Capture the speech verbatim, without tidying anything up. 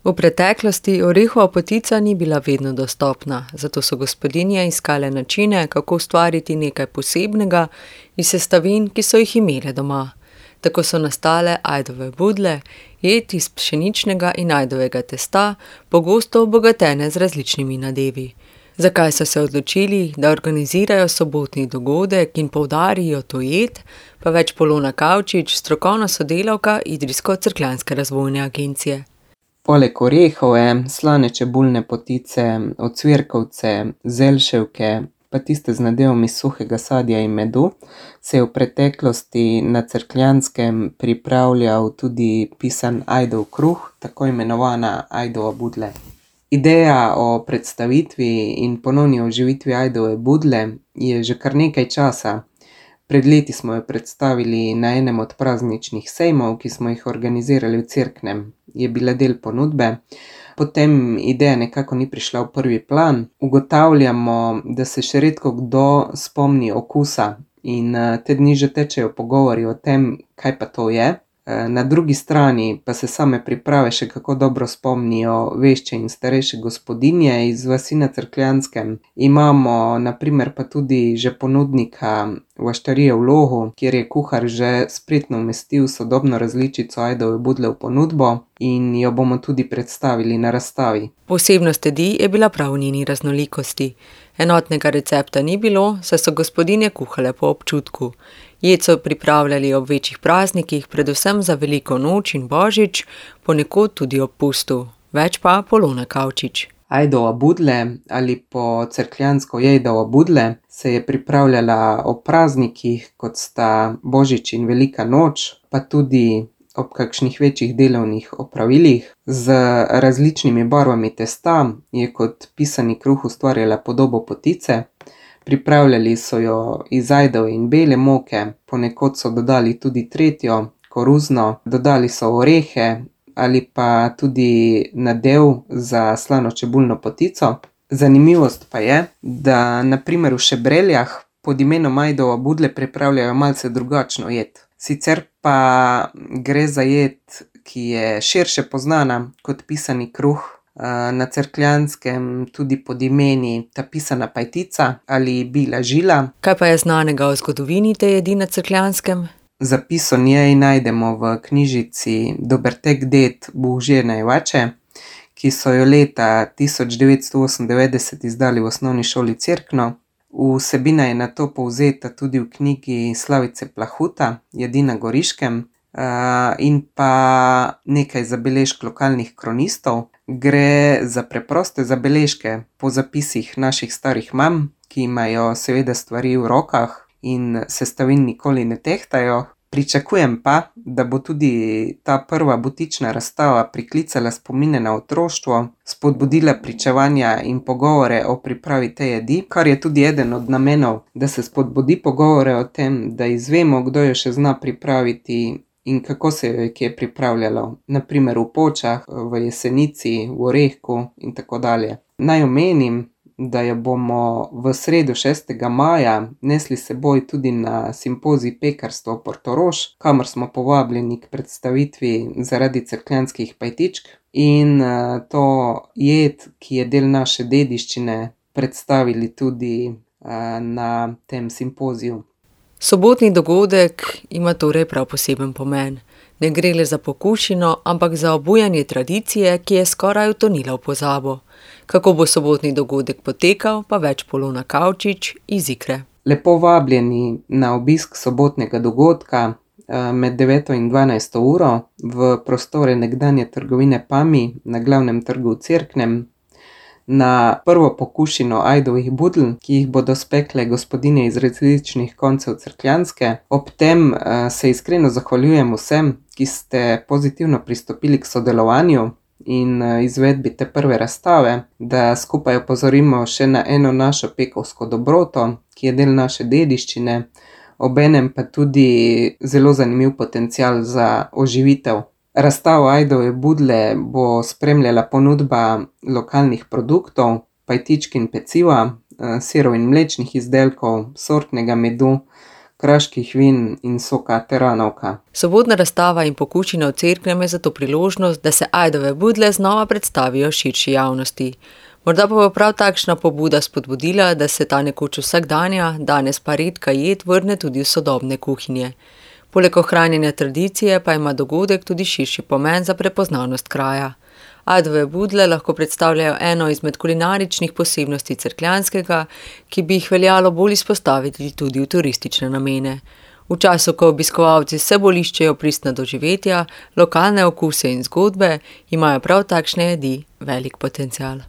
V preteklosti orehova potica ni bila vedno dostopna, zato so gospodinje iskale načine, kako ustvariti nekaj posebnega iz sestavin, ki so jih imele doma. Tako so nastale ajdove budle, jed iz pšeničnega in ajdovega testa, pogosto obogatene z različnimi nadevi. Zakaj so se odločili, da organizirajo sobotni dogodek in poudarijo to jed, pa več Polona Kavčič, strokovna sodelavka Idrijsko-Cerkljanske razvojne agencije. Poleg orehove, slane čebulne potice, ocvirkovce, zelševke, pa tiste z nadevami suhega sadja in medu, se je v preteklosti na Cerkljanskem pripravljal tudi pisan ajdov kruh, tako imenovana ajdova budle. Ideja o predstavitvi in ponovni oživitvi ajdove budle je že kar nekaj časa. Pred leti smo jo predstavili na enem od prazničnih sejmov, ki smo jih organizirali v Cerknem. Je bila del ponudbe, potem ideja nekako ni prišla v prvi plan. Ugotavljamo, da se še redko kdo spomni okusa in te dni že tečejo pogovori o tem, kaj pa to je. Na drugi strani pa se same priprave še kako dobro spomnijo vešče in starejše gospodinje iz vasi na Cerkljanskem. Imamo na primer pa tudi že ponudnika Vaštarije v Logu, kjer je kuhar že spretno umestil sodobno različico ajdove budle v ponudbo in jo bomo tudi predstavili na razstavi. Posebnost jedi je bila prav v njeni raznolikosti. Enotnega recepta ni bilo, saj so gospodinje kuhale po občutku. Jed so pripravljali ob večjih praznikih, predvsem za veliko noč in božič, ponekod tudi ob pustu. Več pa Polona Kavčič. Ajdova budle ali po cerkljansko jejdova budle se je pripravljala ob praznikih, kot sta božič in velika noč, pa tudi ob kakšnih večjih delovnih opravilih. Z različnimi barvami testa je kot pisani kruh ustvarjala podobo potice. Pripravljali so jo iz ajdove in bele moke, ponekod so dodali tudi tretjo, koruzno, dodali so orehe ali pa tudi nadev za slano čebulno potico. Zanimivost pa je, da na primer v Šebreljah pod imenom ajdova budle pripravljajo malce drugačno jed. Sicer pa gre za jed, ki je širše poznana kot pisani kruh, na Cerkljanskem tudi pod imeni ta pisana pajtica ali bila žila. Kaj pa je znanega o zgodovini te jedi na Cerkljanskem? Zapis o njej najdemo v knjižici Dobertek ded Božena Jevače, ki so jo leta tisoč devetsto osemindevetdeset izdali v osnovni šoli Cerkno. Vsebina je nato povzeta tudi v knjigi Slavice Plahuta, Jedi na Goriškem, in pa nekaj zabeležk lokalnih kronistov. Gre za preproste zabeležke po zapisih naših starih mam, ki imajo seveda stvari v rokah in sestavin nikoli ne tehtajo. Pričakujem pa, da bo tudi ta prva butična razstava priklicala spomine na otroštvo, spodbudila pričevanja in pogovore o pripravi te jedi, kar je tudi eden od namenov, da se spodbudi pogovore o tem, da izvemo, kdo jo še zna pripraviti in kako se jo je kje pripravljalo, na primer v Počah, v Jesenici, v Orehku in tako dalje. Naj omenim, da jo bomo v sredo šestega maja nesli s seboj tudi na simpozij Pekarstvo Portorož, kamor smo povabljeni k predstavitvi zaradi cerkljanskih pajtičk in to jed, ki je del naše dediščine, predstavili tudi na tem simpoziju. Sobotni dogodek ima torej prav poseben pomen. Ne gre le za pokušino, ampak za obujanje tradicije, ki je skoraj utonila v pozabo. Kako bo sobotni dogodek potekal, pa več Polona Kavčič iz Ikre. Lepo vabljeni na obisk sobotnega dogodka med deveto in dvanajsto uro v prostore nekdanje trgovine Pami na glavnem trgu v Cerknem, na prvo pokušino ajdovih budl, ki jih bodo spekle gospodinje iz različnih koncev Cerkljanske. Ob tem se iskreno zahvaljujem vsem, ki ste pozitivno pristopili k sodelovanju in izvedbi te prve razstave, da skupaj opozorimo še na eno našo pekovsko dobroto, ki je del naše dediščine, obenem pa tudi zelo zanimiv potencial za oživitev. Razstavo ajdove budle bo spremljala ponudba lokalnih produktov, pajtičk in peciva, sirov in mlečnih izdelkov, sortnega medu, kraških vin in soka teranovka. Sobotna razstava in pokušina v Cerknem je zato priložnost, da se ajdove budle znova predstavijo širši javnosti. Morda pa bo prav takšna pobuda spodbudila, da se ta nekoč vsakdanja, danes pa redka jed vrne tudi v sodobne kuhinje. Poleg ohranjanja tradicije pa ima dogodek tudi širši pomen za prepoznavnost kraja. Ajdove budle lahko predstavljajo eno izmed kulinaričnih posebnosti Cerkljanskega, ki bi jih veljalo bolj izpostaviti tudi v turistične namene. V času, ko obiskovalci vse bolj iščejo pristna doživetja, lokalne okuse in zgodbe, imajo prav takšne jedi velik potencial.